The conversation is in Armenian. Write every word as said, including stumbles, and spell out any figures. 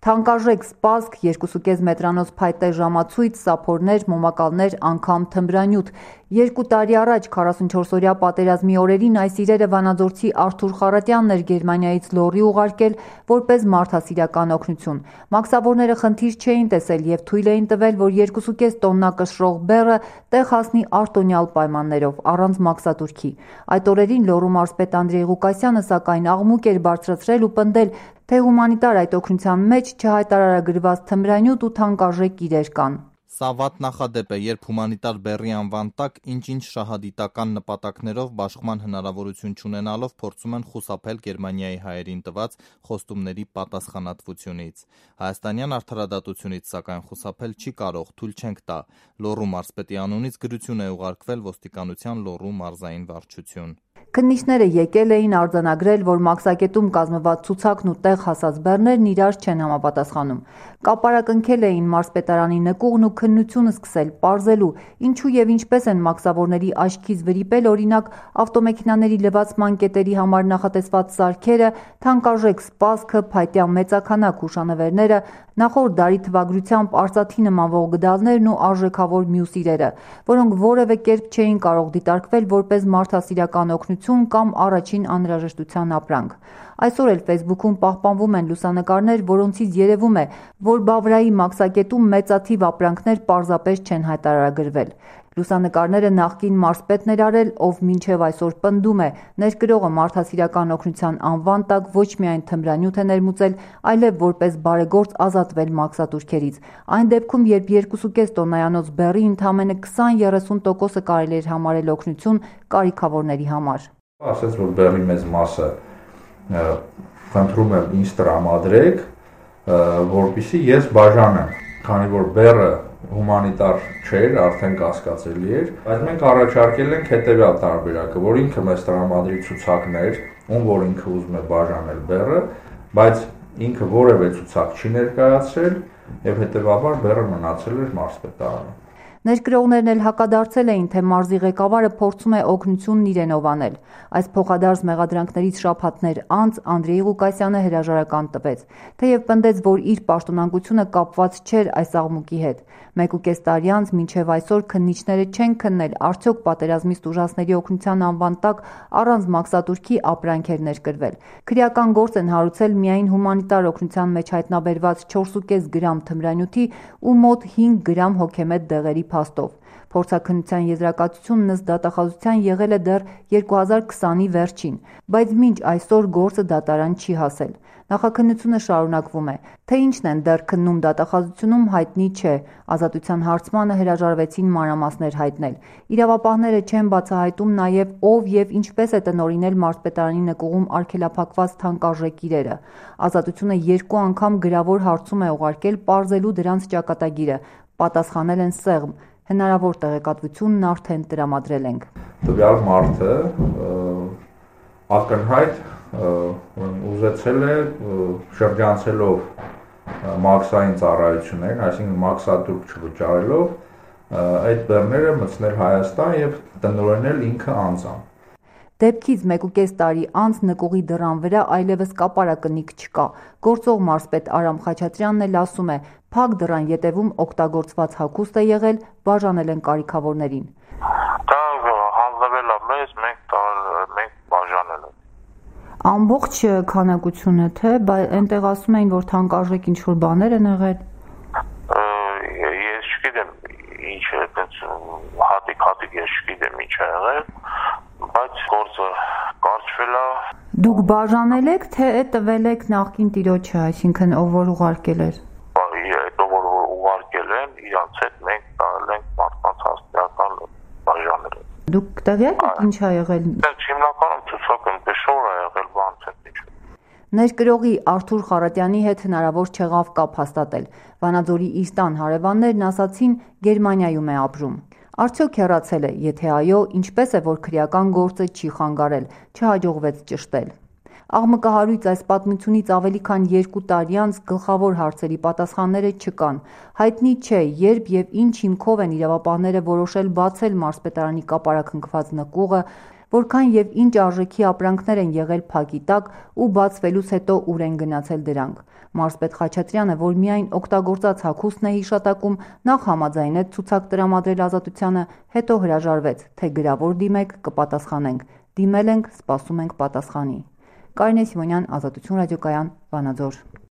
Թանկարժեք սպասք, երկուսուկես մետրանոց փայտե ժամացույց, սափորներ, մոմակալներ, անգամ թմրանյութ։ Երկու տարի առաջ քառասունչորսօրյա պատերազմի օրերին այս իրերը վանաձորցի Արթուր Խառատյանն էր Գերմանիայից լոռի ուղարկել որպես մարդասիրական օգնություն։ Մաքսավորները խնդիր չէին տեսել և թույլ էին տվել, որ երկուսուկես տոննա կշռող բեռը տեղ հասնի արտոնյալ պայմաններով, առանց մաքսատուրքի։ Այդ օրերին լոռու մարզպետ Անդրեյ Ղուկասյանը սակայն աղմուկ էր բարձրացրել ու պնդել, թե հումանիտար այդ օգնության մեջ չհայտարարագրված թմրանյութ ու թանկարժեք իրեր կան։ Սա վատ նախադեպ է, երբ հումանիտար բեռի անվան տակ ինչ-ինչ շահադիտական նպատակներով բաշխման հնարավորություն չունենալով փորձում են խուսափել Գերմանիայի հայերին տված խոստումների պատասխանատվությունից։ Հայաստանյան արդարադատությունից սակայն խուսափել չի կարող, թույլ չենք տա։ Լոռու մարզպետի անունից գրություն է ուղարկվել ոստիկանության Լոռու մարզային վարչություն։ Քննիչները եկել էին արձանագրել, որ մաքսակետում կազմված ցուցակն ու տեղ հասած բեռներն իրար չեն համապատասխանում։ Կապարակնքել էին մարզպետարանի նկուղն ու քննությունը սկսել պարզելու, ինչու եւ ինչպես են մաքսավորների աչքից վրիպել օրինակ ավտոմեքենաների լվացման կետերի համար նախատեսված սարքերը, թանկարժեք սպասքը, փայտյա մեծաքանակ հուշանվերները, նախորդ դարի թվագրությամբ արծաթի նմանվող գդալներն ու արժեքավոր մյուս իրերը, որոնք որևէ կերպ չէին կարող դիտարկվել որպես մարդասիրական օգնություն կամ առաջին անհրաժեշտության ապրանք։ Այսօր էլ Facebook-ում պահպանվում են լուսանկարներ, որոնցից երևում է, որ Բավրայի մաքսակետում մեծաթիվ ապրանքներ պարզապես չեն հայտարարագրվել։ Լուսանկարները նախկին մարզպետն էր արել, ով մինչև այսօր պնդում է, ներկրողը մարդասիրական օգնության անվան տակ ոչ միայն թմրանյութ է ներմուծել, այլև որպես բարեգործ ազատվել մաքսատուրքերից։ Այն դեպքում, երբ երկուսուկես տոննայանոց բեռի ընդամենը քսան-երեսուն տոկոսը կարելի էր համարել օգնություն կարիքավորների համար։ Ասեց, որ բեռի մեծ մասը խնդրում եմ ինձ տրամադրեք, որպեսզի ես բաժանեմ, քանի որ բեռը հումանիտար չէր, արդեն կասկածելի էր, բայց մենք առաջարկել ենք հետևյալ տարբերակը, որ ինքը մեզ տրամադրի ցուցակներ, ում որ ինքը ուզում է բաժանել բեռը, բայց ինքը որևէ ցուցակ չի ներկայացրել եւ հետեւաբար բեռը մնացել էր մարզպետարանում։ Ներկրողներն էլ հակադարձել էին, թե մարզի ղեկավարը փորձում է օգնությունն իրենով անել։ Այս փոխադարձ մեղադրանքներից շաբաթներ անց Անդրեյ Ղուկասյանը հրաժարական տվեց, թեև պնդեց, որ իր պաշտոնանկությունը կապված չէր այս աղմուկի հետ։ Մեկ ու կես տարի անց մինչև այսօր քննիչները չեն քննել, արդյոք պատերազմից տուժածների օգնության անվան տակ առանց մաքսատուրքի ապրանք էր ներկրվել։ Քրեական գործ են հարուցել միայն հումանիտար օգնության մեջ հայտնաբերված չորսուկես գրամ թմրանյութի ու մոտ հինգ գրամ հոգեմետ դեղերի փաստով։ Փորձաքննության եզրակացությունն ըստ դատախազության եղել է դեռ երկու հազար քսանի վերջին, բայց մինչ այսօր գործը դատարան չի հասել։ Նախաքննությունը շարունակվում է, թե ինչն են դեռ քննում դատախազությունում հայտնի չէ, ազատության հարցմանը հրաժարվեցին մանրամասներ հայտնել։ Իրավապահները չեն բացահայտում նաև ով եւ ինչպես է տնօրինել մարզպետարանի նկուղում արգելափակված թանկարժեք իրերը։ Ազատությունը երկու անգամ գրավոր հարցում է ուղարկել պարզելու դրանց ճակատագիրը, պատասխանել են սեղմ, հնարավոր տեղեկատվությունն արդեն տրամադրել ենք։ Տվյալ մարդը ակնհայտ ուզեցել է շրջանցելով մաքսային ծառայություններին, այսինքն մաքսատուրք չվճարելով այդ բեռները մտցնել Հայաստան եւ տնօրինել ինքը անձամբ։ Դեպքից մեկուկես տարի անց նկուղի դռան վրա այլևս կապարակնիկ չկա։ Գործող մարզպետ Արամ Խաչատրյանն էլ ասում է, փակ դռան ետևում օգտագործված հագուստ է եղել, բաժանել են կարիքավորներին։ Դա հանձնվել է մեզ, մենք մենք բաժանել ենք։ Ամբողջ քանակությունը թե, բայց այնտեղ ասում էին, որ թանկարժեք ինչ-որ բաներ են եղել։ Ես չգիտեմ ինչ է, այդպես հատիկ-հատիկ ես չգիտեմ ինչ է եղել, բայց գործը կարճվել է։ Դուք բաժանել եք, թե տվել եք նախկին տիրոջը, այսինքն ով որ ուղարկել էր։ Այդ ով որ ուղարկել են, իրանց հետ մենք տալ ենք մարդկանց հաստատական բաժանել։ Դուք տեղյակ եք ինչ ա եղել։ Հիմնականում ցուցակը այնպես շոր է եղել, բանց է ինչ։ Ներկրողի Արթուր Խառատյանի հետ հնարավոր չեղավ կապ հաստատել։ Վանաձորի իր տան հարևաններն ասացին Գերմանիայում է ապրում։ Արդյոք հեռացել է, եթե այո, ինչպես է, որ քրեական գործը չի խանգարել, չհաջողվեց ճշտել։ Աղմկահարույց այս պատմությունից ավելի քան երկու տարի անց գլխավոր հարցերի պատասխանները չկան։ Հայտնի չէ, երբ եւ ինչ հիմքով են իրավապահները որոշել բացել մարզպետարանի կապարակնքված նկուղը, որքան եւ ինչ արժեքի ապրանքներ են եղել փակի տակ ու բացվելուց հետո ուր են գնացել դրանք։ Մարզպետ Խաչատրյանը, որ միայն օգտագործած հագուստն է հիշատակում, նախ համաձայնեց ցուցակ տրամադրել Ազատությանը, հետո հրաժարվեց, թե գրավոր դիմեք, կպատասխանենք, դիմել ենք, սպասում ենք պատասխանի։ Կարինե Սիմոնյան, Ազատություն ռադիոկայան, Վանաձոր։